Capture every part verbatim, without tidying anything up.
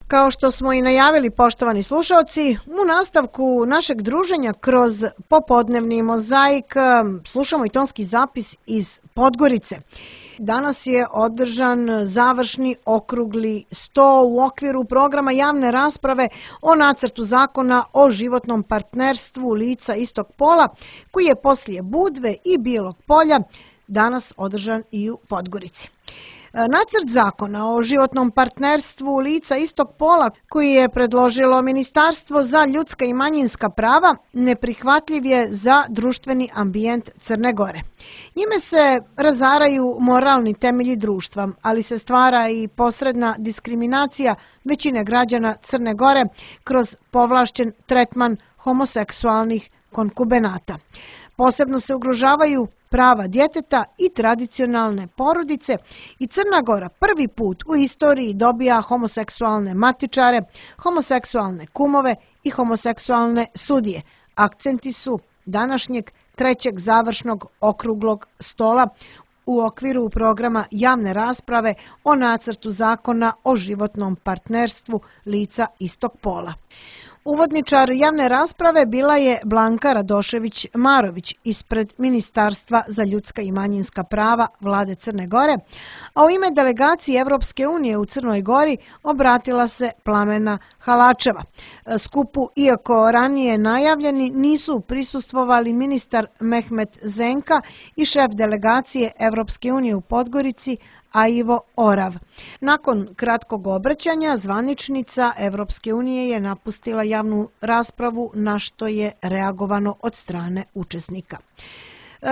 Kao što smo i najavili, poštovani slušalci, u nastavku našeg druženja kroz popodnevni mozaik slušamo i tonski zapis iz Podgorice. Danas je održan završni okrugli sto u okviru programa javne rasprave o nacrtu zakona o životnom partnerstvu lica istog pola, koji je poslije Budve i Bijelog Polja danas održan i u Podgorici. Nacrt zakona o životnom partnerstvu lica istog pola, koji je predložilo Ministarstvo za ljudska i manjinska prava, neprihvatljiv je za društveni ambijent Crne Gore. Njime se razaraju moralni temelji društva, ali se stvara i posredna diskriminacija većine građana Crne Gore kroz povlašćen tretman homoseksualnih konkubenata. Posebno se ugrožavaju prava djeteta i tradicionalne porodice i Crna Gora prvi put u istoriji dobija homoseksualne matičare, homoseksualne kumove i homoseksualne sudije. Akcenti su današnjeg trećeg završnog okruglog stola u okviru programa javne rasprave o nacrtu zakona o životnom partnerstvu lica istog pola. Uvodničar javne rasprave bila je Blanka Radošević-Marović ispred Ministarstva za ljudska i manjinska prava Vlade Crne Gore, a u ime delegacije Evropske unije u Crnoj Gori obratila se Plamena Halačeva. Skupu, iako ranije najavljeni, nisu prisustvovali ministar Mehmet Zenka i šef delegacije Evropske unije u Podgorici Aivo Orav. Nakon kratkog obraćanja, zvaničnica Evropske unije je napustila javnu raspravu, na što je reagovano od strane učesnika.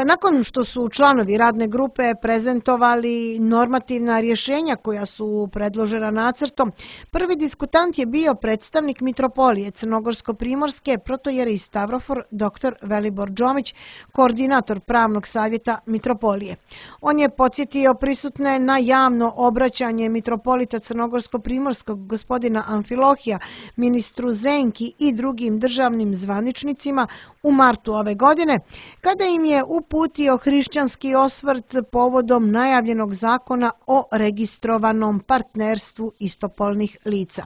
Nakon što su članovi radne grupe prezentovali normativna rješenja koja su predložena nacrtom, prvi diskutant je bio predstavnik Mitropolije Crnogorsko-Primorske protojere Stavrofor dr Velibor Džomić, koordinator pravnog savjeta Mitropolije. On je podsjetio prisutne na javno obraćanje mitropolita Crnogorsko-Primorskog gospodina Amfilohija, ministru Zenki i drugim državnim zvaničnicima u martu ove godine, kada im je uputio hrišćanski osvrt povodom najavljenog zakona o registrovanom partnerstvu istopolnih lica.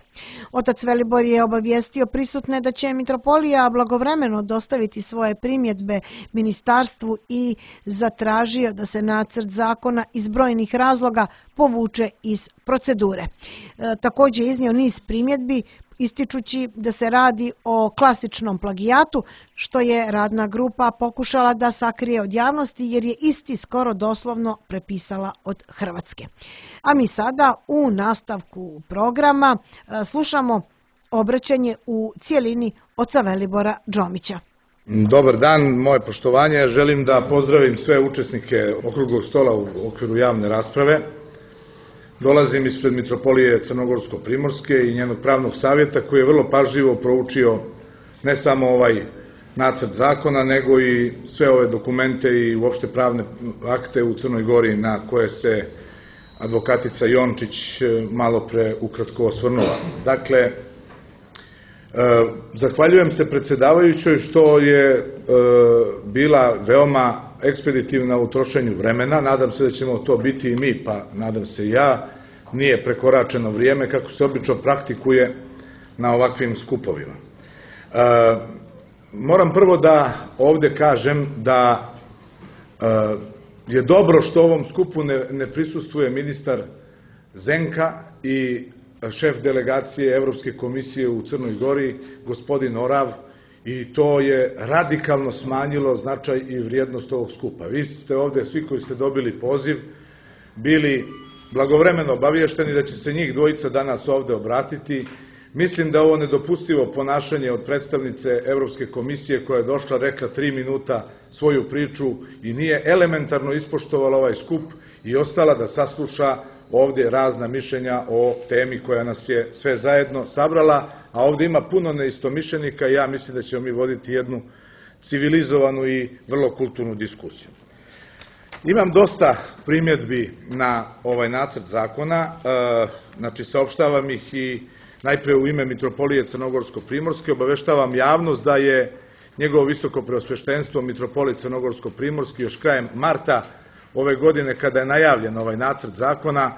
Otac Velibor je obavijestio prisutne da će Mitropolija blagovremeno dostaviti svoje primjedbe ministarstvu i zatražio da se nacrt zakona iz brojnih razloga povuče iz procedure. E, također je iznio niz primjedbi, ističući da se radi o klasičnom plagijatu, što je radna grupa pokušala da sakrije od javnosti jer je isti skoro doslovno prepisala od Hrvatske. A mi sada u nastavku programa slušamo obraćanje u cijelini oca Velibora Džomića. Dobar dan, moje poštovanje. Želim da pozdravim sve učesnike okruglog stola u okviru javne rasprave. Dolazim ispred Mitropolije Crnogorsko-Primorske i njenog pravnog savjeta koji je vrlo pažljivo proučio ne samo ovaj nacrt zakona, nego i sve ove dokumente i uopšte pravne akte u Crnoj Gori na koje se advokatica Jončić malo pre ukratko osvrnula. Dakle, zahvaljujem se predsjedavajućoj što je bila veoma ekspeditivna u trošenju vremena. Nadam se da ćemo to biti i mi, pa nadam se i ja. Nije prekoračeno vrijeme kako se obično praktikuje na ovakvim skupovima. Moram prvo da ovdje kažem da je dobro što ovom skupu ne prisustvuje ministar Zenka i šef delegacije Evropske komisije u Crnoj Gori, gospodin Orav, i to je radikalno smanjilo značaj i vrijednost ovog skupa. Vi ste ovdje, svi koji ste dobili poziv, bili blagovremeno obavješteni da će se njih dvojica danas ovdje obratiti. Mislim da ovo nedopustivo ponašanje od predstavnice Evropske komisije koja je došla, rekla tri minuta svoju priču i nije elementarno ispoštovala ovaj skup i ostala da sasluša ovdje razna mišljenja o temi koja nas je sve zajedno sabrala, a ovdje ima puno neistomišljenika i ja mislim da ćemo mi voditi jednu civilizovanu i vrlo kulturnu diskusiju. Imam dosta primjedbi na ovaj nacrt zakona, znači saopštavam ih i najpre u ime Mitropolije Crnogorsko-Primorske obaveštavam javnost da je njegovo visoko preosveštenstvo Mitropolije Crnogorsko-Primorske još krajem marta ove godine, kada je najavljen ovaj nacrt zakona,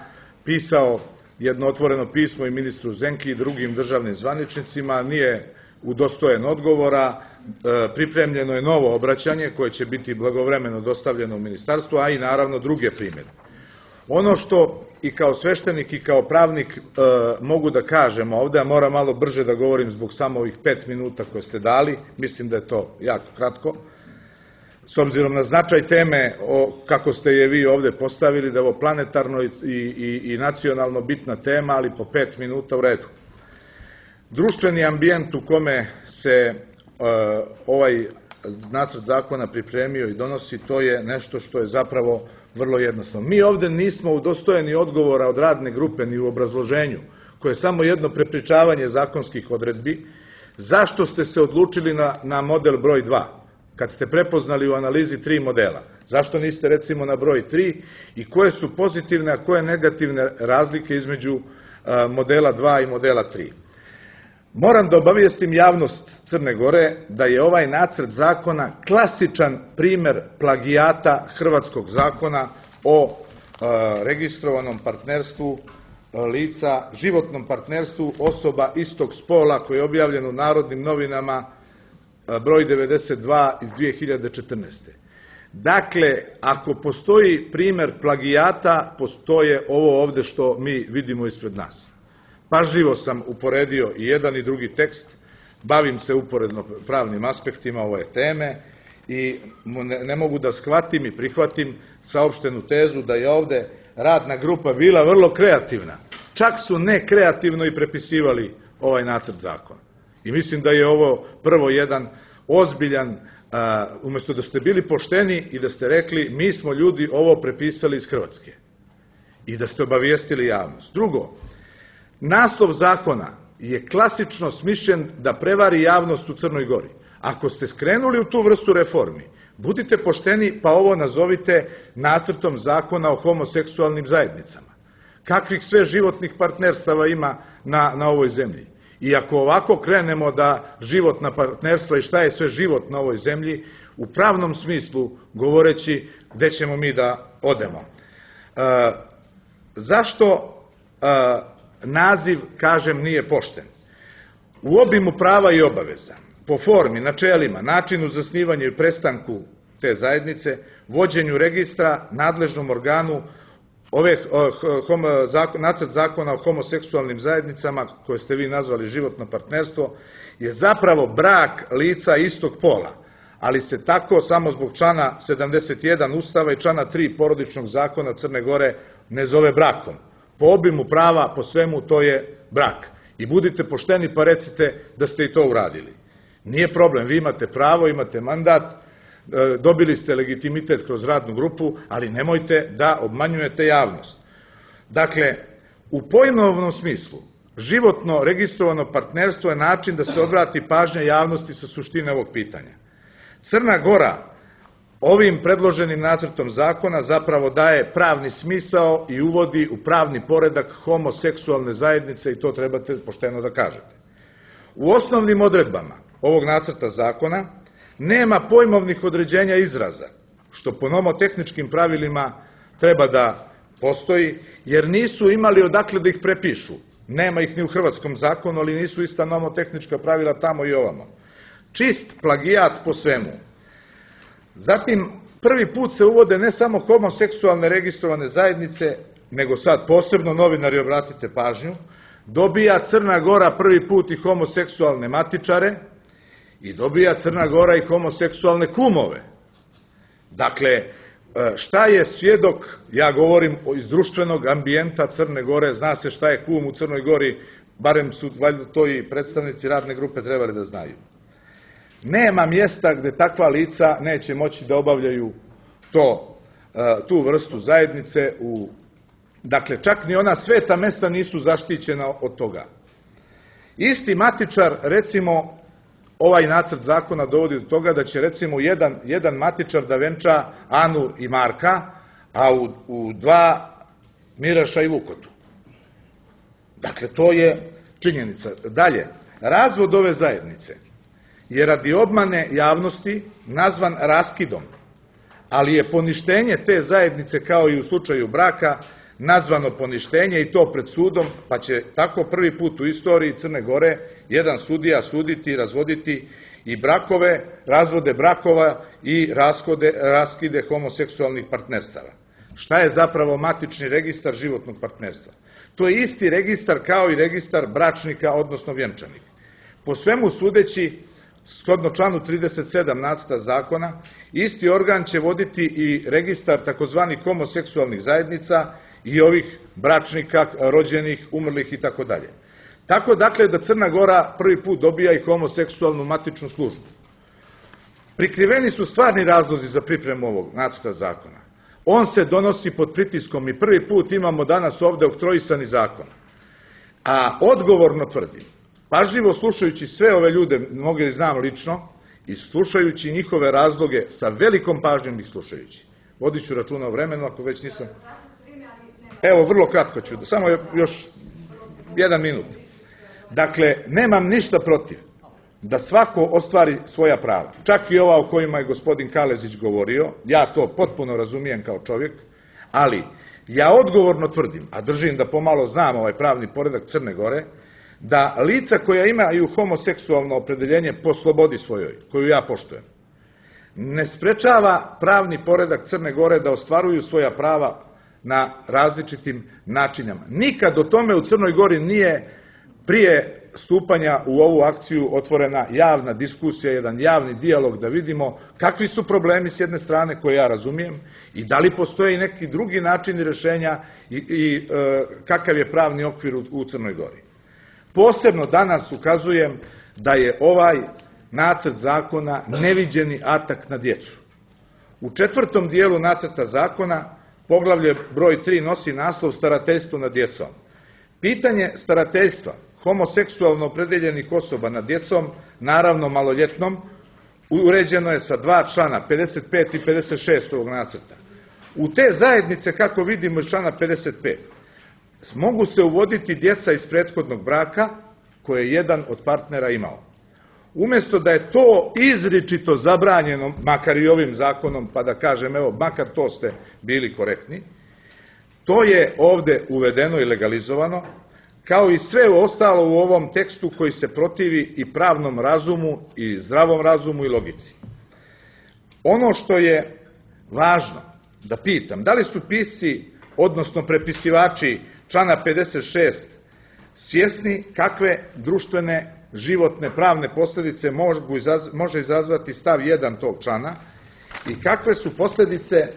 pisao jedno otvoreno pismo i ministru Zenki i drugim državnim zvaničnicima, nije udostojen odgovora, pripremljeno je novo obraćanje koje će biti blagovremeno dostavljeno u ministarstvo, a i naravno druge primjedbe. Ono što i kao sveštenik i kao pravnik mogu da kažem ovde, a moram malo brže da govorim zbog samo ovih pet minuta koje ste dali, mislim da je to jako kratko, s obzirom na značaj teme, kako ste je vi ovde postavili, da je ovo planetarno i nacionalno bitna tema, ali po pet minuta u redu. Društveni ambijent u kome se ovaj nacrt zakona pripremio i donosi, to je nešto što je zapravo vrlo jednostavno. Mi ovde nismo udostojeni odgovora od radne grupe ni u obrazloženju, koje je samo jedno prepričavanje zakonskih odredbi, zašto ste se odlučili na model broj dva, kad ste prepoznali u analizi tri modela. Zašto niste recimo na broj tri i koje su pozitivne, a koje negativne razlike između modela dva i modela tri. Moram da obavijestim javnost Crne Gore da je ovaj nacrt zakona klasičan primer plagijata hrvatskog zakona o registrovanom partnerstvu lica, životnom partnerstvu osoba istog spola koji je objavljen u Narodnim novinama broj devedeset dva iz dve hiljade četrnaeste. Dakle, ako postoji primer plagijata, postoje ovo ovde što mi vidimo ispred nas. Pažljivo sam uporedio i jedan i drugi tekst, bavim se uporedno pravnim aspektima ove teme i ne mogu da shvatim i prihvatim saopštenu tezu da je ovde radna grupa bila vrlo kreativna. Čak su nekreativno i prepisivali ovaj nacrt zakona. I mislim da je ovo prvo jedan ozbiljan, umesto da ste bili pošteni i da ste rekli mi smo ljudi ovo prepisali iz Hrvatske i da ste obavijestili javnost. Drugo, naslov zakona je klasično smišljen da prevari javnost u Crnoj Gori. Ako ste skrenuli u tu vrstu reformi, budite pošteni pa ovo nazovite nacrtom zakona o homoseksualnim zajednicama. Kakvih sve životnih partnerstava ima na ovoj zemlji? I ako ovako krenemo da životna partnerstva i šta je sve život na ovoj zemlji, u pravnom smislu govoreći gde ćemo mi da odemo. Zašto naziv, kažem, nije pošten? U obimu prava i obaveza, po formi, načelima, načinu zasnivanja i prestanku te zajednice, vođenju registra, nadležnom organu, nacrt zakona o homoseksualnim zajednicama, koje ste vi nazvali životno partnerstvo, je zapravo brak lica istog pola, ali se tako samo zbog člana sedamdeset jedan Ustava i člana tri Porodičnog zakona Crne Gore ne zove brakom. Po obimu prava, po svemu, to je brak. I budite pošteni pa recite da ste i to uradili. Nije problem, vi imate pravo, imate mandat, dobili ste legitimitet kroz radnu grupu, ali nemojte da obmanjujete javnost. Dakle, u pojmovnom smislu, životno registrovano partnerstvo je način da se odvrati pažnja javnosti sa suštine ovog pitanja. Crna Gora ovim predloženim nacrtom zakona zapravo daje pravni smisao i uvodi u pravni poredak homoseksualne zajednice i to trebate pošteno da kažete. U osnovnim odredbama ovog nacrta zakona nema pojmovnih određenja izraza, što po nomotehničkim pravilima treba da postoji, jer nisu imali odakle da ih prepišu. Nema ih ni u hrvatskom zakonu, ali nisu ista nomotehnička pravila tamo i ovamo. Čist plagijat po svemu. Zatim, prvi put se uvode ne samo homoseksualne registrovane zajednice, nego sad posebno, novinari, obratite pažnju, dobija Crna Gora prvi put i homoseksualne matičare i dobija Crna Gora i homoseksualne kumove. Dakle, šta je svjedok, ja govorim iz društvenog ambijenta Crne Gore, zna se šta je kum u Crnoj Gori, barem su valjda to i predstavnici radne grupe trebali da znaju. Nema mjesta gde takva lica neće moći da obavljaju tu vrstu zajednice. Dakle, čak ni ona sveta mesta nisu zaštićena od toga. Isti matičar, recimo, ovaj nacrt zakona dovodi do toga da će, recimo, jedan matičar da venča Anu i Marka, a u dva Miraša i Vukotu. Dakle, to je činjenica. Dalje, razvod ove zajednice je radi obmane javnosti nazvan raskidom, ali je poništenje te zajednice, kao i u slučaju braka, nazvano poništenje i to pred sudom, pa će tako prvi put u istoriji Crne Gore jedan sudija suditi i razvoditi i brakove, razvode brakova i raskode, raskide homoseksualnih partnerstava. Šta je zapravo matični registar životnog partnerstva? To je isti registar kao i registar bračnika, odnosno vjenčanika. Po svemu sudeći, shodno članu trideset sedam nacrta zakona, isti organ će voditi i registar takozvanih homoseksualnih zajednica i ovih bračnika, rođenih, umrlih i tako dalje. Tako dakle da Crna Gora prvi put dobija i homoseksualnu matičnu službu. Prikriveni su stvarni razlozi za pripremu ovog nacrta zakona. On se donosi pod pritiskom i prvi put imamo danas ovde oktroisani zakon. A odgovorno tvrdim, pažljivo slušajući sve ove ljude, mnoge znam lično, i slušajući njihove razloge, sa velikom pažnjom ih slušajući. Vodit ću računa o vremenu, ako već nisam... Evo, vrlo kratko ću, samo još jedan minut. Dakle, nemam ništa protiv da svako ostvari svoja prava. Čak i ova o kojima je gospodin Kalezić govorio, ja to potpuno razumijem kao čovjek, ali ja odgovorno tvrdim, a držim da pomalo znam ovaj pravni poredak Crne Gore, da lica koja imaju homoseksualno opredeljenje po slobodi svojoj, koju ja poštujem, ne sprečava pravni poredak Crne Gore da ostvaruju svoja prava na različitim načinama. Nikad o tome u Crnoj Gori nije prije stupanja u ovu akciju otvorena javna diskusija, jedan javni dijalog da vidimo kakvi su problemi s jedne strane koje ja razumijem i da li postoje i neki drugi načini rešenja i, i e, kakav je pravni okvir u, u Crnoj Gori. Posebno danas ukazujem da je ovaj nacrt zakona neviđeni atak na djecu. U četvrtom dijelu nacrta zakona poglavlje broj tri nosi naslov starateljstvo nad djecom. Pitanje starateljstva homoseksualno opredeljenih osoba nad djecom, naravno maloljetnom, uređeno je sa dva člana, pedeset pet i pedeset šest ovog nacrta. U te zajednice, kako vidimo iz člana pedeset pet, mogu se uvoditi djeca iz prethodnog braka koje je jedan od partnera imao. Umjesto da je to izričito zabranjeno, makar i ovim zakonom, pa da kažem, evo, makar to ste bili korektni, to je ovde uvedeno i legalizovano, kao i sve ostalo u ovom tekstu koji se protivi i pravnom razumu, i zdravom razumu i logici. Ono što je važno da pitam, da li su pisci, odnosno prepisivači člana pedeset šest, svjesni kakve društvene, životne, pravne posljedice može izazvati stav jedan tog člana i kakve su posljedice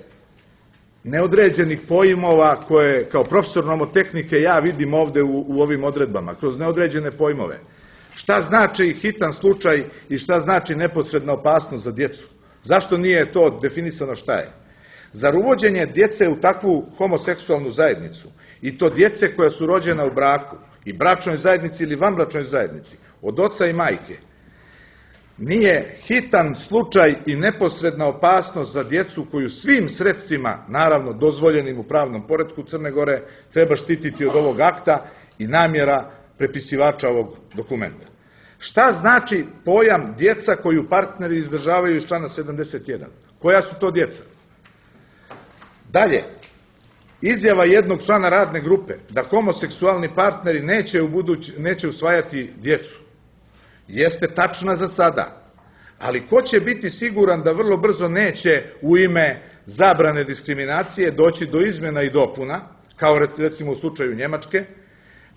neodređenih pojmova koje kao profesor nomotehnike ja vidim ovde u, u ovim odredbama, kroz neodređene pojmove. Šta znači hitan slučaj i šta znači neposredna opasnost za djecu? Zašto nije to definisano šta je? Zar uvođenje djece u takvu homoseksualnu zajednicu i to djece koja su rođena u braku i bračnoj zajednici ili vanbračnoj zajednici, od oca i majke, nije hitan slučaj i neposredna opasnost za djecu koju svim sredstvima, naravno dozvoljenim u pravnom poretku Crne Gore, treba štititi od ovog akta i namjera prepisivača ovog dokumenta? Šta znači pojam djeca koju partneri izdržavaju iz člana sedamdeset jedan? Koja su to djeca? Dalje, izjava jednog člana radne grupe da homoseksualni partneri neće, u buduć, neće usvajati djecu jeste tačna za sada, ali ko će biti siguran da vrlo brzo neće u ime zabrane diskriminacije doći do izmjena i dopuna, kao recimo u slučaju Njemačke,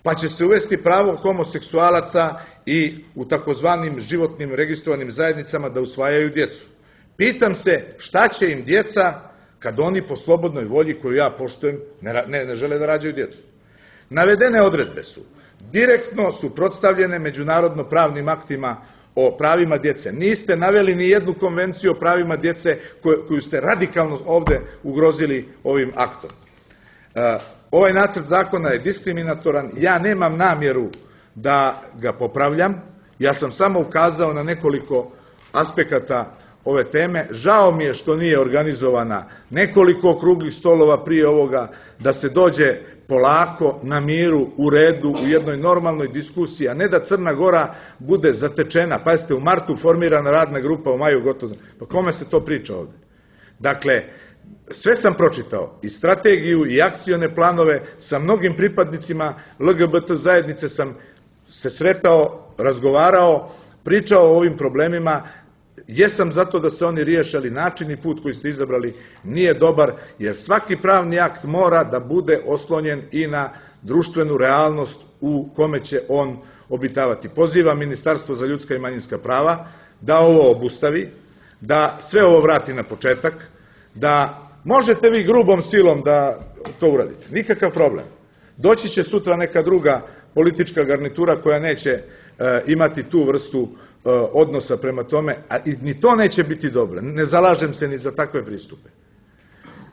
pa će se uvesti pravo homoseksualaca i u takozvanim životnim registrovanim zajednicama da usvajaju djecu. Pitam se šta će im djeca kad oni po slobodnoj volji koju ja poštujem ne, ne, ne žele da rađaju djecu. Navedene odredbe su direktno suprotstavljene međunarodno pravnim aktima o pravima djece. Niste naveli ni jednu konvenciju o pravima djece koju, koju ste radikalno ovde ugrozili ovim aktom. E, ovaj nacrt zakona je diskriminatoran, ja nemam namjeru da ga popravljam, ja sam samo ukazao na nekoliko aspekata ove teme. Žao mi je što nije organizovana nekoliko okruglih stolova prije ovoga, da se dođe polako, na miru, u redu, u jednoj normalnoj diskusiji, a ne da Crna Gora bude zatečena. Pa jeste, u martu formirana radna grupa, u maju gotovo. Pa kome se to priča ovde? Dakle, sve sam pročitao, i strategiju, i akcione planove, sa mnogim pripadnicima L G B T zajednice sam se sretao, razgovarao, pričao o ovim problemima. Jesam zato da se oni riješe, ali način i put koji ste izabrali nije dobar, jer svaki pravni akt mora da bude oslonjen i na društvenu realnost u kome će on obitavati. Pozivam Ministarstvo za ljudska i manjinska prava da ovo obustavi, da sve ovo vrati na početak, da možete vi grubom silom da to uradite, nikakav problem. Doći će sutra neka druga politička garnitura koja neće imati tu vrstu odnosa prema tome, a ni to neće biti dobro. Ne zalažem se ni za takve pristupe.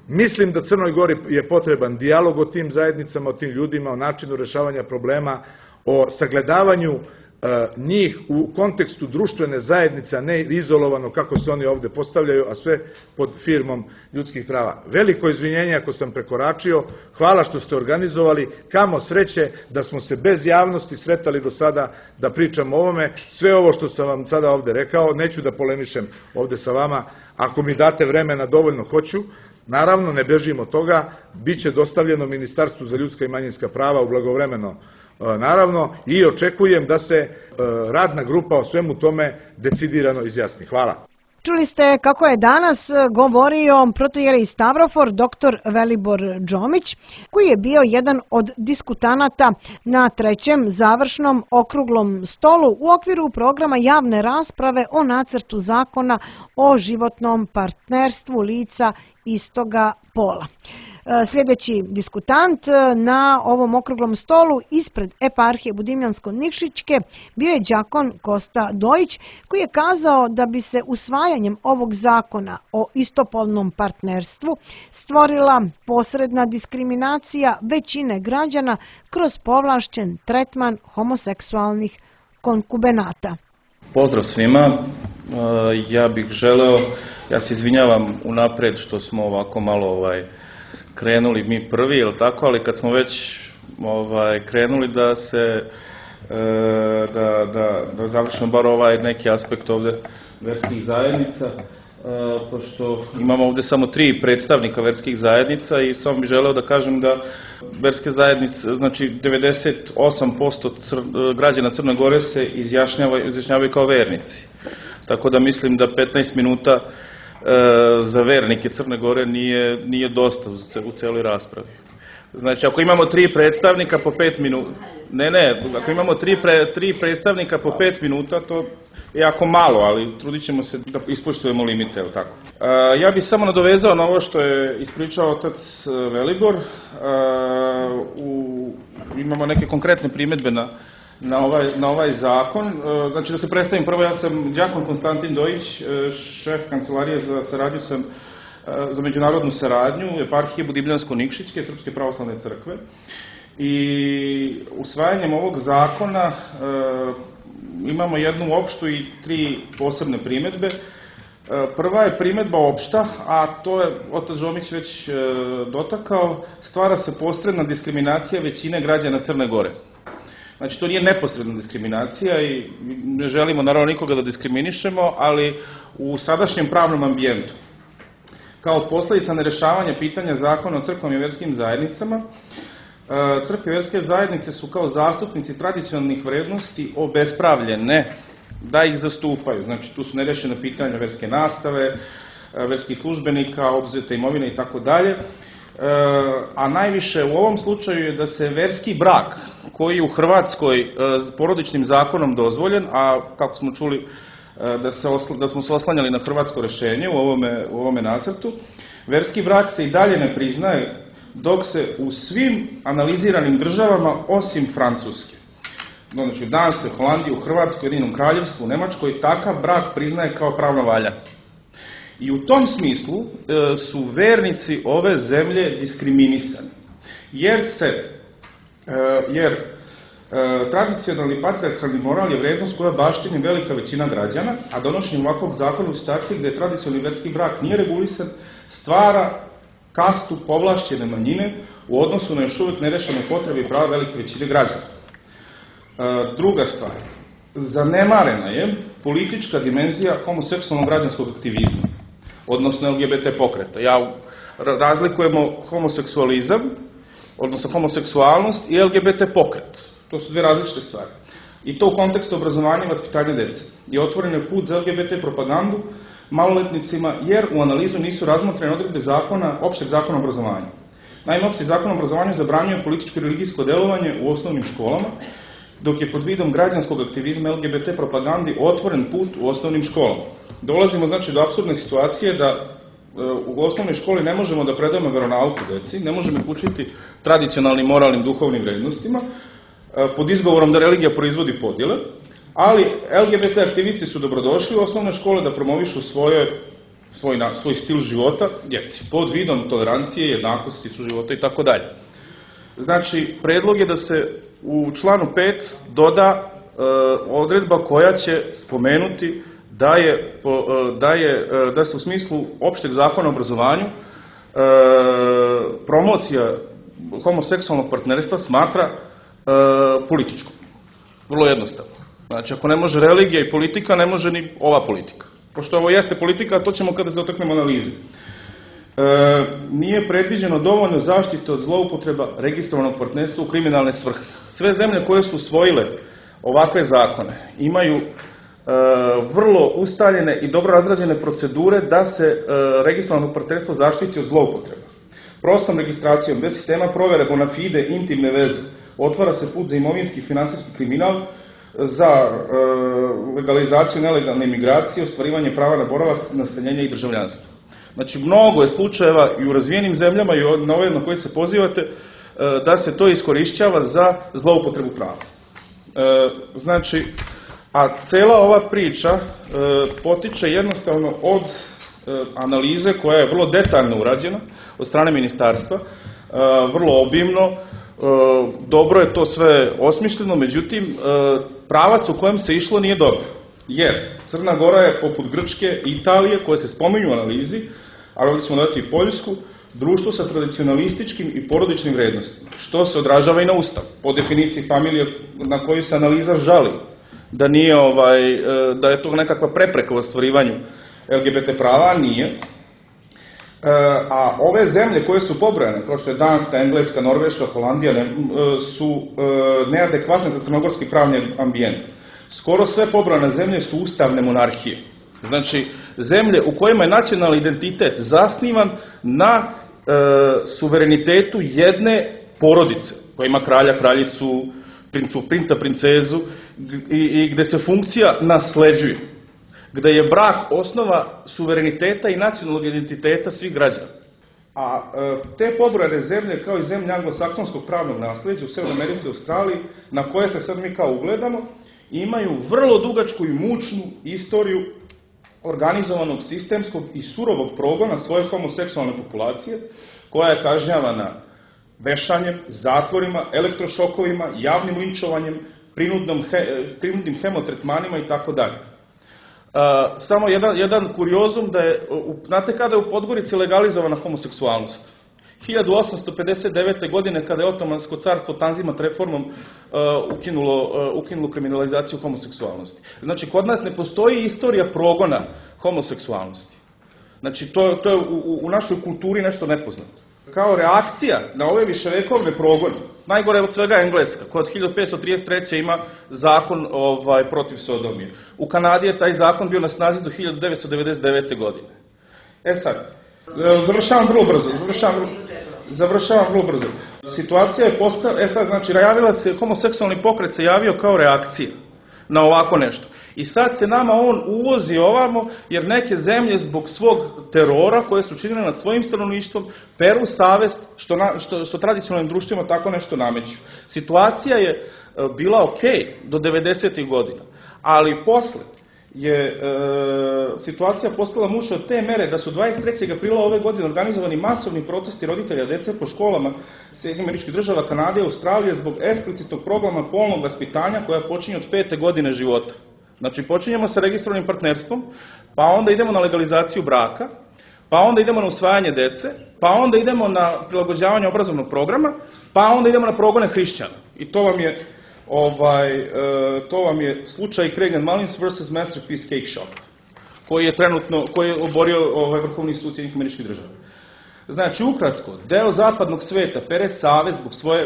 Mislim da Crnoj Gori je potreban dijalog o tim zajednicama, o tim ljudima, o načinu rešavanja problema, o sagledavanju njih u kontekstu društvene zajednice, a ne izolovano kako se oni ovde postavljaju, a sve pod firmom ljudskih prava. Veliko izvinjenje ako sam prekoračio, hvala što ste organizovali, kamo sreće da smo se bez javnosti sretali do sada da pričamo o ovome. Sve ovo što sam vam sada ovde rekao, neću da polemišem ovde sa vama, ako mi date vremena dovoljno hoću. Naravno, ne bežimo od toga, bit će dostavljeno Ministarstvu za ljudska i manjinska prava u blagovremeno, naravno, i očekujem da se radna grupa o svemu tome decidirano izjasni. Hvala. Čuli ste kako je danas govorio protoijerej Stavrofor doktor Velibor Džomić, koji je bio jedan od diskutanata na trećem završnom okruglom stolu u okviru programa javne rasprave o nacrtu zakona o životnom partnerstvu lica istoga pola. Sljedeći diskutant na ovom okruglom stolu ispred eparhije Budimljansko-Nikšićke bio je đakon Kosta Dojić, koji je kazao da bi se usvajanjem ovog zakona o istopolnom partnerstvu stvorila posredna diskriminacija većine građana kroz povlašćen tretman homoseksualnih konkubenata. Pozdrav svima, ja bih želeo, ja se izvinjavam unapred što smo ovako malo ovaj, krenuli mi prvi, jel tako, ali kad smo već ovaj, krenuli da se, e, da, da, da završimo bar ovaj neki aspekt ovde verskih zajednica, e, pošto imamo ovde samo tri predstavnika verskih zajednica i samo bih želeo da kažem da verske zajednice, znači devedeset osam posto cr, građana Crne Gore se izjašnjavaju, izjašnjavaju kao vernici. Tako da mislim da petnaest minuta za vernike Crne Gore nije, nije dosta u celoj raspravi. Znači, ako imamo tri predstavnika po pet minuta, ne, ne, ako imamo tri, pre, tri predstavnika po pet minuta, to je jako malo, ali trudit ćemo se da ispoštujemo limite, ili tako. A, ja bih samo nadovezao na ovo što je ispričao otac Velibor. A, u, imamo neke konkretne primedbe na Na ovaj, na ovaj zakon. Znači da se predstavim prvo, ja sam đakon Konstantin Dojić, šef kancelarije za saradnju sam za međunarodnu saradnju eparhije Budimljansko-Nikšićke Srpske pravoslavne crkve i usvajanjem ovog zakona e, imamo jednu opštu i tri posebne primedbe. E, prva je primedba opšta, a to je otac Džomić već e, dotakao, stvara se posredna diskriminacija većine građana Crne Gore. Znači, to nije neposredna diskriminacija i ne želimo naravno nikoga da diskriminišemo, ali u sadašnjem pravnom ambijentu, kao posledica nerešavanja pitanja zakona o crkvama i verskim zajednicama, crkve i verske zajednice su kao zastupnici tradicionalnih vrednosti obespravljene da ih zastupaju. Znači, tu su nerešena pitanja verske nastave, verskih službenika, oduzete imovine i tako dalje. A najviše u ovom slučaju je da se verski brak, koji je u Hrvatskoj porodičnim zakonom dozvoljen, a kako smo čuli da, se osla, da smo se oslanjali na hrvatsko rešenje u ovome, u ovome nacrtu, verski brak se i dalje ne priznaje, dok se u svim analiziranim državama, osim Francuske, znači u Danskoj, Holandiji, u Hrvatskoj, Ujedinjenom Kraljevstvu, u Nemačkoj, takav brak priznaje kao pravno valjan. I u tom smislu e, su vernici ove zemlje diskriminisani, jer se, e, jer e, tradicionalni patrijarhalni moral je vrednost koja baštini velika većina građana, a donošenjem ovakvog zakona u situaciji gde tradicionalni verski brak nije regulisan, stvara kastu povlašćene manjine u odnosu na još uvijek nerešene potrebe i prava velike većine građana. E, druga stvar, zanemarena je politička dimenzija homoseksualnog građanskog aktivizma, odnosno L G B T pokreta. Ja razlikujemo homoseksualizam, odnosno homoseksualnost i L G B T pokret. To su dvije različite stvari. I to u kontekstu obrazovanja i vaspitanja dece. I otvoren je put za L G B T propagandu maloletnicima, jer u analizu nisu razmotrene odredbe zakona, opšteg zakona o obrazovanju. Naime, opšti zakon o obrazovanju zabranjuje političko i religijsko delovanje u osnovnim školama, dok je pod vidom građanskog aktivizma L G B T propagandi otvoren put u osnovnim školama. Dolazimo znači do apsurdne situacije da u osnovnoj školi ne možemo da predajemo veronauku deci, ne možemo ih učiti tradicionalnim, moralnim, duhovnim vrednostima, pod izgovorom da religija proizvodi podjele, ali L G B T aktivisti su dobrodošli u osnovne škole da promovišu svoje, svoj, svoj stil života djeci, pod vidom tolerancije, jednakosti, suživota i tako dalje. Znači, predlog je da se u članu pet doda e, odredba koja će spomenuti da je, da je da se u smislu opšteg zakona o obrazovanju e, promocija homoseksualnog partnerstva smatra e, političkom. Vrlo jednostavno. Znači, ako ne može religija i politika, ne može ni ova politika. Pošto ovo jeste politika, to ćemo kada se dotaknemo analize. E, nije predviđeno dovoljno zaštite od zloupotreba registrovanog partnerstva u kriminalne svrhe. Sve zemlje koje su usvojile ovakve zakone imaju vrlo ustaljene i dobro razrađene procedure da se registrovano partnerstvo zaštiti od zloupotreba. Prostom registracijom bez sistema provere bona fide intimne veze otvara se put za imovinski i finansijski kriminal, za legalizaciju nelegalne imigracije, ostvarivanje prava na boravak, nastanjenje i državljanstvo. Znači, mnogo je slučajeva i u razvijenim zemljama i na ove na koje se pozivate da se to iskorišćava za zloupotrebu prava. Znači, a cela ova priča e, potiče jednostavno od e, analize koja je vrlo detaljno urađena od strane ministarstva, e, vrlo obimno, e, dobro je to sve osmišljeno, međutim, e, pravac u kojem se išlo nije dobro. Jer Crna Gora je poput Grčke i Italije, koje se spominju u analizi, ali ovdje ćemo dodati i Poljsku, društvo sa tradicionalističkim i porodičnim vrednostima, što se odražava i na Ustav, po definiciji familije na koju se analiza žali. Da nije ovaj, da je to nekakva prepreka u ostvarivanju L G B T prava, nije. A ove zemlje koje su pobrojane, kao što je Danska, Engleska, Norveška, Holandija, su neadekvatne za crnogorski pravni ambijent. Skoro sve pobrojane zemlje su ustavne monarhije. Znači, zemlje u kojima je nacionalni identitet zasnivan na e, suverenitetu jedne porodice, koja ima kralja, kraljicu, princa, princezu, i, i gde se funkcija nasleđuje, gde je brak osnova suvereniteta i nacionalnog identiteta svih građana. A e, te pobrojane zemlje, kao i zemlje anglosaksonskog pravnog nasleđa u Severnoj Americi i Australiji, na koje se sad mi kao ugledamo, imaju vrlo dugačku i mučnu istoriju organizovanog, sistemskog i surovog progona svoje homoseksualne populacije, koja je kažnjavana vešanjem, zatvorima, elektrošokovima, javnim linčovanjem, prinudnim hemotretmanima i tako dalje. Samo jedan, jedan kuriozum da je, znate kada je u Podgorici legalizovana homoseksualnost? hiljadu osamsto pedeset devete. godine, kada je Otomansko carstvo Tanzimat reformom uh, ukinulo, uh, ukinulo kriminalizaciju homoseksualnosti. Znači, kod nas ne postoji istorija progona homoseksualnosti. Znači, to, to je u, u našoj kulturi nešto nepoznato. Kao reakcija na ove viševekovne progone, najgore od svega Engleska, koja od hiljadu petsto trideset treće. ima zakon ovaj, protiv sodomije. U Kanadi je taj zakon bio na snazi do hiljadu devetsto devedeset devete. godine. E sad, završavam vrlo brzo, završavam vrlo, završavam vrlo brzo. Situacija je postala, e sad, znači, javila se, homoseksualni pokret se javio kao reakcija na ovako nešto. I sad se nama on uvozi ovamo, jer neke zemlje zbog svog terora koje su činile nad svojim stanovništvom, peru savest što, na, što, što tradicionalnim društvima tako nešto nameću. Situacija je bila okej do devedesetih. godina, ali posle je e, situacija postala mučna od te mere da su dvadeset trećeg aprila ove godine organizovani masovni protesti roditelja dece po školama Sjedinjenih Američkih Država, Kanade i Australije zbog eksplicitnog programa polnog vaspitanja koja počinje od pete godine života. Znači, počinjemo sa registrovanim partnerstvom, pa onda idemo na legalizaciju braka, pa onda idemo na usvajanje dece, pa onda idemo na prilagođavanje obrazovnog programa, pa onda idemo na progone hrišćana. I to vam je Ovaj, e, to vam je slučaj Craig and Mullins versus Masterpiece Cake Shop, koji je trenutno, koji je oborio ovaj Vrhovni sud Sjedinjenih Američkih Država. Znači, ukratko, deo zapadnog sveta pere savez zbog svoje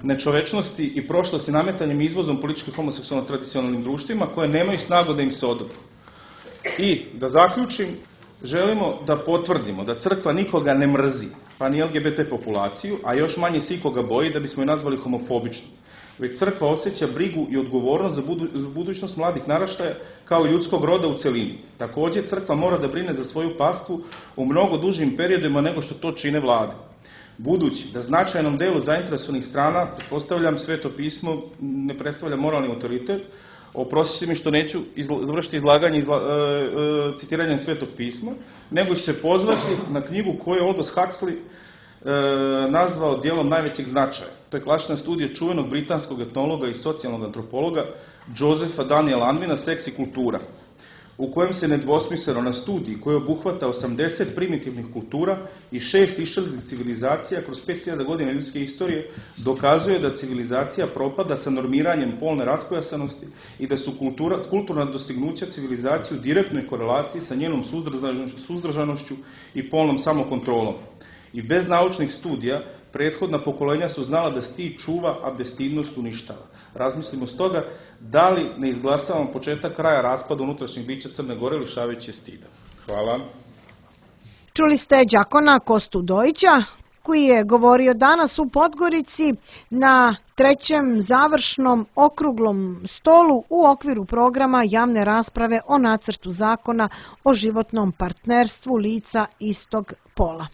nečovečnosti i prošlosti nametanjem i izvozom političkih homoseksualno tradicionalnim društvima koje nemaju snagu da im se odobru. I, da zaključim, želimo da potvrdimo da crkva nikoga ne mrzi, pa ni L G B T populaciju, a još manje se ikoga boji da bismo je nazvali homofobičnom. Već crkva osjeća brigu i odgovornost za, budu, za budućnost mladih naraštaja kao i ljudskog roda u celini. Također, crkva mora da brine za svoju pastvu u mnogo dužim periodima nego što to čine vlade. Budući da značajnom delu zainteresovanih strana, pretpostavljam, Sveto pismo ne predstavlja moralni autoritet, oprostite mi što neću izla, završiti izlaganje izla, e, e, citiranjem Svetog pisma, nego ću se pozvati na knjigu koju je Aldous Huxley e, nazvao dijelom najvećeg značaja. To je klasična studija čuvenog britanskog etnologa i socijalnog antropologa Josepha Daniela Unwina Seks i kultura, u kojem se nedvosmisleno na studiji koji obuhvata osamdeset primitivnih kultura i šest iščezlih civilizacija kroz pet hiljada godina ljudske istorije dokazuje da civilizacija propada sa normiranjem polne raskojasanosti i da su kultura, kulturna dostignuća civilizacije u direktnoj korelaciji sa njenom suzdržanošću i polnom samokontrolom. I bez naučnih studija prethodna pokolenja su znala da stid čuva, a bestidnost uništava. Razmislimo stoga da li ne izglasavamo početak kraja raspada unutrašnjeg bića Crne Gore lišavajući stida. Hvala. Čuli ste đakona Kostu Dojića, koji je govorio danas u Podgorici na trećem završnom okruglom stolu u okviru programa javne rasprave o nacrtu zakona o životnom partnerstvu lica istog pola.